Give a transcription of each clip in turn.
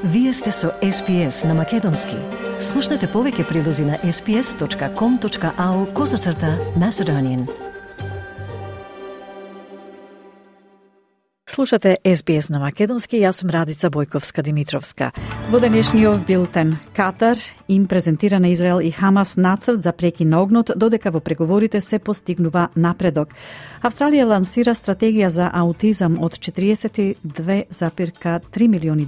Вие сте со SPS на Македонски. Слушнете повеќе прилози на sps.com.au/Macedonian. Слушате SBS на Македонски, јас сум Радица Бојковска-Димитровска. Во денешниот билтен, Катар им презентира на Израел и Хамас нацрт за прекин на огнот, додека во преговорите се постигнува напредок. Австралија лансира стратегија за аутизам од $42,3 милиони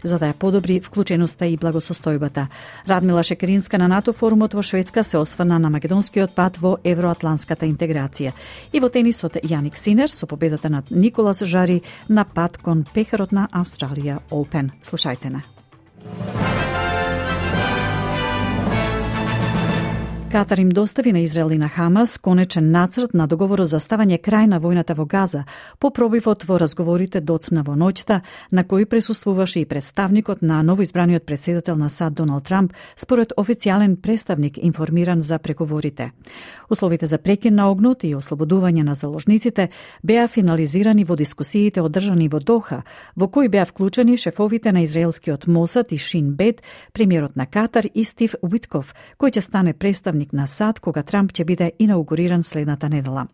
за да ја подобри вклученоста и благосостојбата. Радмила Шекеринска на НАТО форумот во Шведска се осврна на македонскиот пат во евроатланската интеграција. И во тенисот Јаник Синер со победата над Николас Жари на пат кон пехарот на Австралија Open. Слушајте на. Катар им достави на Израел и на Хамас конечен нацрт на договорот за ставање крај на војната во Газа по пробивот во разговорите доцна во ноќта, на кој присуствуваше и представникот на новоизбраниот претседател на САД Доналд Трамп, според официјален представник информиран за преговорите. Условите за прекин на огнот и ослободување на заложниците беа финализирани во дискусиите одржани во Доха, во кои беа вклучени шефовите на израелскиот Мосад и Шин Бет, премиерот на Катар и Стив Уитков, кој ќе стане представник на САД кога Трамп ќе биде инаугуриран следната недела.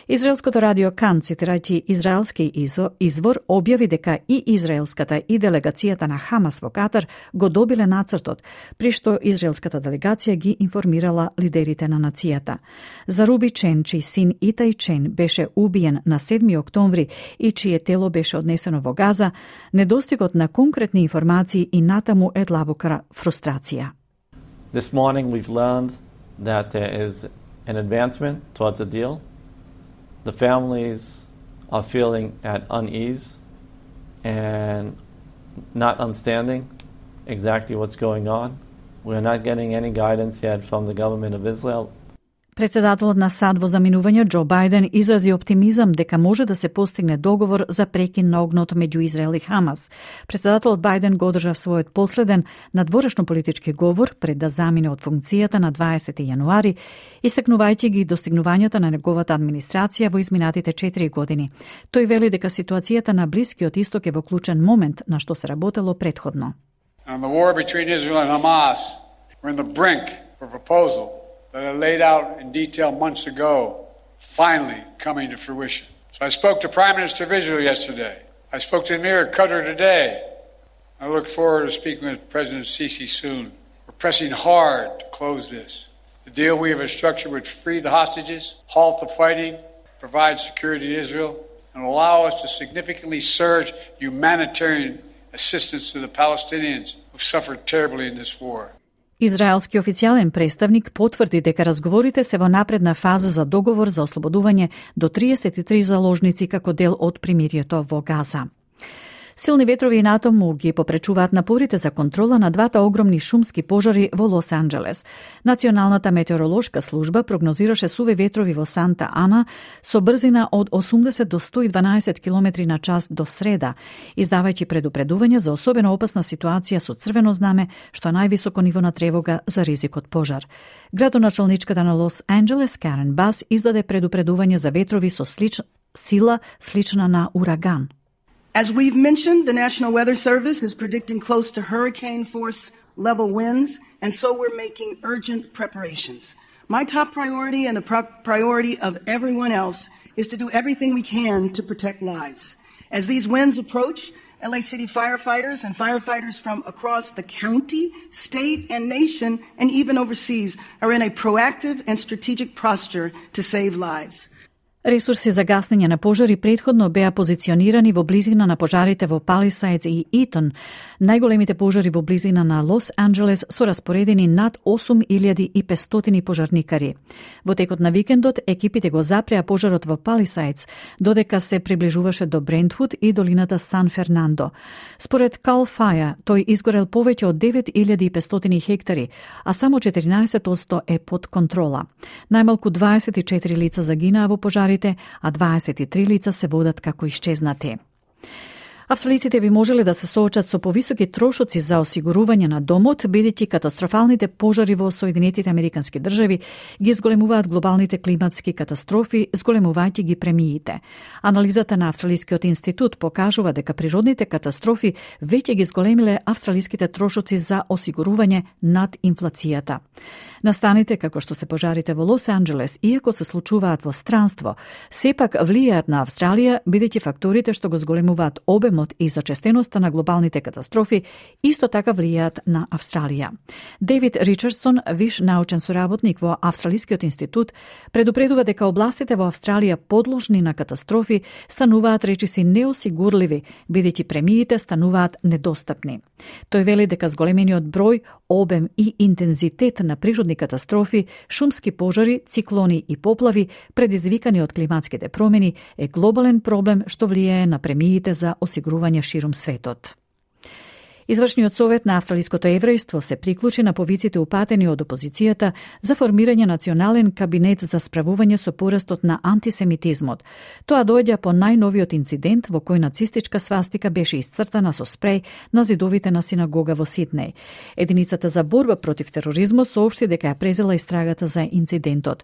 Израелското радио Кан, цитирајќи израелски извор, објави дека и израелската и делегацијата на Хамас во Катар го добиле нацртот, при што израелската делегација ги информирала лидерите на нацијата. За Руби Чен, чиј син Итай Чен беше убиен на 7 октомври и чие тело беше однесено во Газа, недостигот на конкретни информации и натаму е длабока фрустрација. This morning we've learned that there is an advancement towards a deal. The families are feeling at unease and not understanding exactly what's going on. We're not getting any guidance yet from the government of Israel. Председателот на САД во заминување Џо Бајден изрази оптимизам дека може да се постигне договор за прекин на огнот меѓу Израел и Хамас. Председателот Бајден го одржа својот последен надворешно политички говор пред да замине од функцијата на 20 јануари, истакнувајќи ги достигнувањата на неговата администрација во изминатите 4 години. Тој вели дека ситуацијата на Блискиот Исток е во клучен момент на што се работело претходно. And the war between Israel and Hamas, we're in the brink of a proposal that I laid out in detail months ago, finally coming to fruition. So I spoke to Prime Minister of Israel yesterday. I spoke to Amir Qatar today. I look forward to speaking with President Sisi soon. We're pressing hard to close this. The deal we have structured would free the hostages, halt the fighting, provide security to Israel, and allow us to significantly surge humanitarian assistance to the Palestinians who've suffered terribly in this war. Израелски официјален представник потврди дека разговорите се во напредна фаза за договор за ослободување до 33 заложници како дел од примирието во Газа. Силни ветрови и натаму ги попречуваат напорите за контрола на двата огромни шумски пожари во Лос Анџелес. Националната метеоролошка служба прогнозираше суве ветрови во Санта Ана со брзина од 80 до 112 км на час до среда, издавајќи предупредување за особено опасна ситуација со црвено знаме, што е највисоко ниво на тревога за ризик од пожар. Градоначалничката на Лос Анџелес, Карен Бас, издаде предупредување за ветрови со сила слична на ураган. As we've mentioned, the National Weather Service is predicting close to hurricane force level winds, and so we're making urgent preparations. My top priority and the priority of everyone else is to do everything we can to protect lives. As these winds approach, LA City firefighters and firefighters from across the county, state, and nation, and even overseas, are in a proactive and strategic posture to save lives. Ресурси за гаснење на пожари претходно беа позиционирани во близина на пожарите во Палисајдс и Итон. Најголемите пожари во близина на Лос Анџелес со распоредени над 8500 пожарникари. Во текот на викендот екипите го запреа пожарот во Палисајдс, додека се приближуваше до Брентвуд и долината Сан Фернандо. Според Cal Fire, тој изгорел повеќе од 9500 хектари, а само 14% е под контрола. Најмалку 24 лица загинаа во пожари, а 23 лица се водат како исчезнати. Австралиците би можеле да се соочат со повисоки трошоци за осигурување на домот, бидејќи катастрофалните пожари во Соединетите Американски држави ги зголемуваат глобалните климатски катастрофи, зголемувајќи ги премиите. Анализата на Австралискиот институт покажува дека природните катастрофи веќе ги зголемиле австралиските трошоци за осигурување над инфлацијата. Настаните, како што се пожарите во Лос Анџелес, иако се случуваат во странство, сепак влијаат на Австралија, бидејќи факторите што го зголемуваат обемот и зачестеноста на глобалните катастрофи исто така влијаат на Австралија. Дейвид Ричардсон, виш научен соработник во Австралискиот институт, предупредува дека областите во Австралија подложни на катастрофи стануваат речиси неосигурливи, бидејќи премиите стануваат недостапни. Тој вели дека зголемениот број, обем и интензитет на природни катастрофи, шумски пожари, циклони и поплави, предизвикани од климатските промени, е глобален проблем што влијае на премиите за осигурување ширум светот. Извршниот совет на австралиското еврејство се приклучи на повиците упатени од опозицијата за формирање национален кабинет за справување со порастот на антисемитизмот. Тоа доаѓа по најновиот инцидент во кој нацистичка свастика беше исцртана со спреј на зидовите на синагога во Сиднеј. Единицата за борба против тероризмот соопшти дека ја презела истрагата за инцидентот.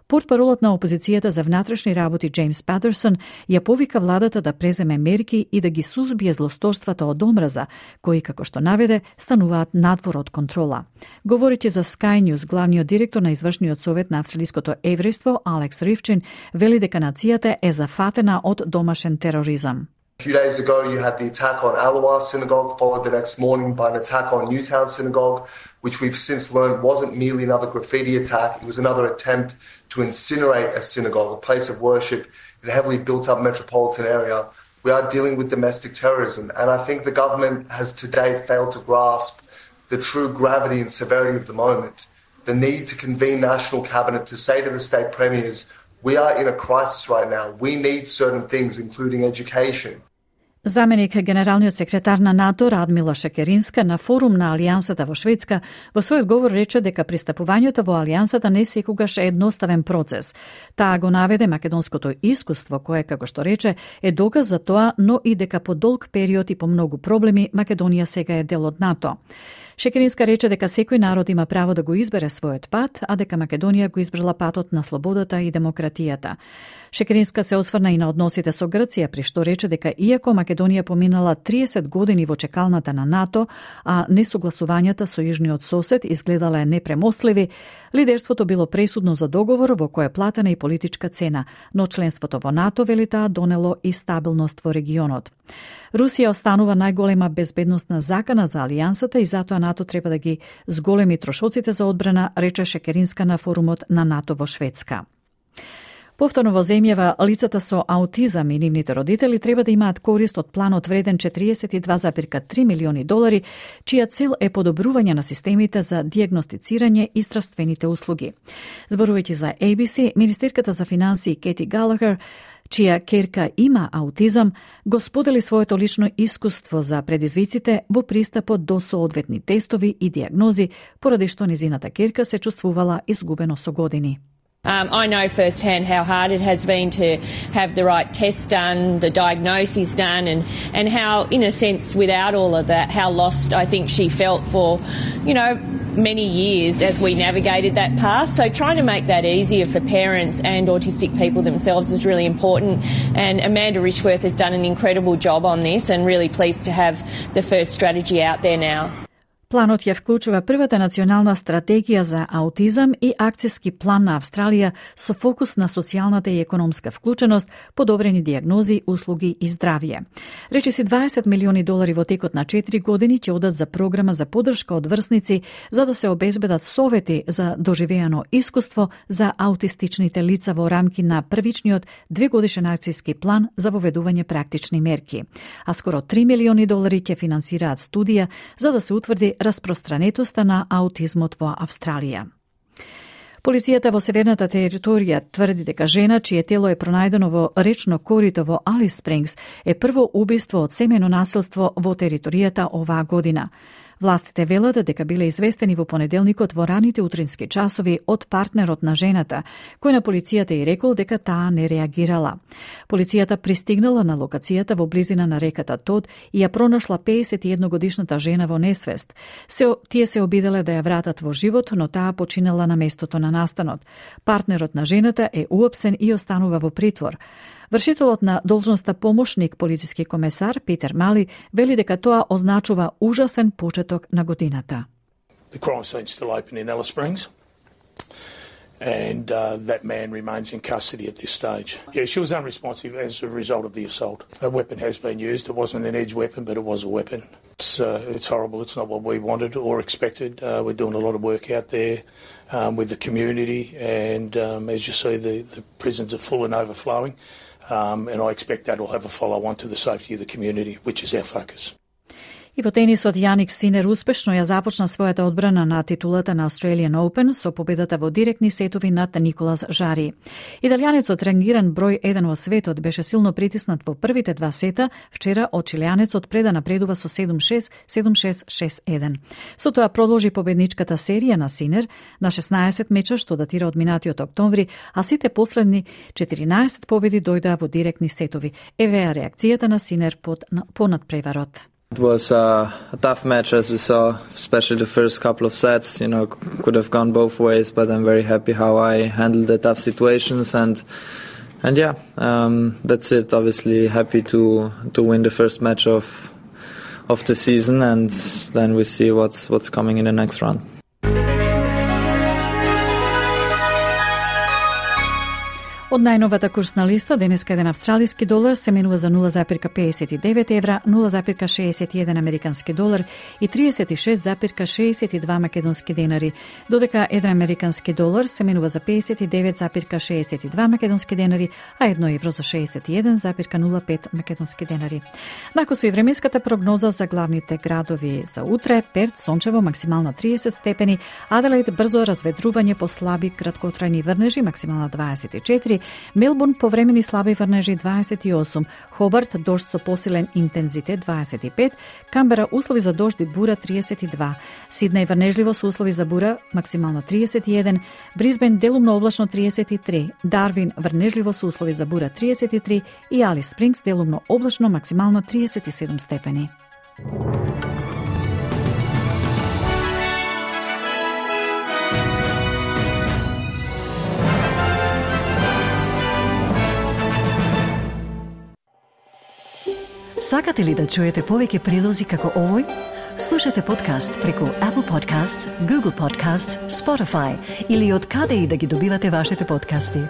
Портпаролот на опозицијата за внатрешни работи Джеймс Патерсон ја повика владата да преземе мерки и да ги сузбие злосторствата од омраза, кои, како што наведе, стануваат надвор од контрола. Говорејќи за Sky News, главниот директор на извршниот совет на австралиското еврејство, Алекс Ривчин, вели дека нацијата е зафатена од домашен тероризам. A few days ago, you had the attack on Alawa Synagogue, followed the next morning by an attack on Newtown Synagogue, which we've since learned wasn't merely another graffiti attack, it was another attempt to incinerate a synagogue, a place of worship in a heavily built-up metropolitan area. We are dealing with domestic terrorism, and I think the government has to date failed to grasp the true gravity and severity of the moment. The need to convene national cabinet to say to the state premiers, we are in a crisis right now. We need certain things, including education. Заменик генералниот секретар на НАТО Радмила Шекеринска на форум на Алијансата во Шведска во својот говор рече дека пристапувањето во Алијансата не секогаш е едноставен процес. Таа го наведе македонското искуство кое, како што рече, е доказ за тоа, но и дека по долг период и по многу проблеми Македонија сега е дел од НАТО. Шекеринска рече дека секој народ има право да го избере својот пат, а дека Македонија го избрала патот на слободата и демократијата. Шекеринска се осврна и на односите со Грција, при што рече дека иако Македонија поминала 30 години во чекалната на НАТО, а несогласувањата со јужниот сосед изгледале непремостливи, лидерството било пресудно за договор во кој е платена и политичка цена, но членството во НАТО, вели таа, донело и стабилност во регионот. Русија останува најголема безбедносна закана за Алијансата и затоа НАТО треба да ги зголеми трошоците за одбрана, рече Шекеринска на форумот на НАТО во Шведска. Повторно во земјава, лицата со аутизам и нивните родители треба да имаат корист од планот вреден $42,3 милиони, чија цел е подобрување на системите за диагностицирање и здравствените услуги. Зборувајќи за ABC, министерката за финансии Кети Галахер, чија керка има аутизам, го сподели своето лично искуство за предизвиците во пристапот до соодветни тестови и диагнози, поради што незината керка се чувствувала изгубено со години. I know firsthand how hard it has been to have the right tests done, the diagnoses done, and how, in a sense, without all of that, how lost I think she felt for, many years as we navigated that path. So trying to make that easier for parents and autistic people themselves is really important. And Amanda Richworth has done an incredible job on this, and really pleased to have the first strategy out there now. Планот ја вклучува првата национална стратегија за аутизам и акцијски план на Австралија со фокус на социјалната и економска вклученост, подобрени диагнози, услуги и здравје. Речиси $20 милиони во текот на 4 години ќе одат за програма за поддршка од врсници за да се обезбедат совети за доживеано искуство за аутистичните лица во рамки на првичниот 2-годишен акцијски план за воведување практични мерки. А скоро $3 милиони ќе финансираат студија за да се утврди распространетоста на аутизмот во Австралија. Полицијата во Северната територија тврди дека жена чие тело е пронајдено во речно корито во Алис Спрингс е прво убиство од семејно насилство во територијата оваа година. Властите велат дека биле известени во понеделникот во раните утрински часови од партнерот на жената, кој на полицијата и рекол дека таа не реагирала. Полицијата пристигнала на локацијата во близина на реката Тод и ја пронашла 51-годишната жена во несвест. Тие се обиделе да ја вратат во живот, но таа починала на местото на настанот. Партнерот на жената е уапсен и останува во притвор. Вршителот на должноста помошник полициски комесар Питер Мали вели дека тоа означува ужасен почеток на годината. The crime scene still open in Alice Springs, and that man remains in custody at this stage. Yeah, she was unresponsive as a result of the assault. A weapon has been used. It wasn't an edge weapon, but it was a weapon. It's horrible. It's not what we wanted or expected. We're doing a lot of work out there with the community, and as you see, the prisons are full and overflowing. And I expect that will have a follow-on to the safety of the community, which is our focus. И во тенисот Јаник Синер успешно ја започна својата одбрана на титулата на Australian Open со победата во директни сетови над Николас Жари. Италијанецот рангиран број 1 во светот беше силно притиснат во првите два сета вчера од чилијанецот пред да напредува со 7-6, 7-6, 6-1. Со тоа продолжи победничката серија на Синер на 16 меча што датира од минатиот октомври, а сите последни 14 победи дојдоа во директни сетови. Евеа реакцијата на Синер по надпреварот. It was a tough match, as we saw, especially the first couple of sets. You know, could have gone both ways, but I'm very happy how I handled the tough situations, and yeah, that's it. Obviously, happy to win the first match of the season, and then we see what's coming in the next round. Од најновата курсна листа, денеска еден австралиски долар се менува за 0,59 евра, 0,61 американски долар и 36,62 македонски денари, додека еден американски долар се менува за 59,62 македонски денари, а 1 евро за 61,05 македонски денари. Накусо и временската прогноза за главните градови за утре: Перт сончево, максимална 30 степени, Аделаид брзо разведрување по слаби краткотрајни врнежи, максимална 24, Мелбурн повремени слаби врнежи 28, Хобарт дожд со посилен интензитет 25, Камбера услови за дожд и бура 32, Сиднеј врнежливо со услови за бура, максимално 31, Брисбен делумно облачно 33, Дарвин врнежливо со услови за бура 33 и Алис Спрингс делумно облачно, максимално 37 степени. Сакате ли да чуете повеќе прилози како овој? Слушате подкаст преку Apple Podcasts, Google Podcasts, Spotify или од каде и да ги добивате вашите подкасти.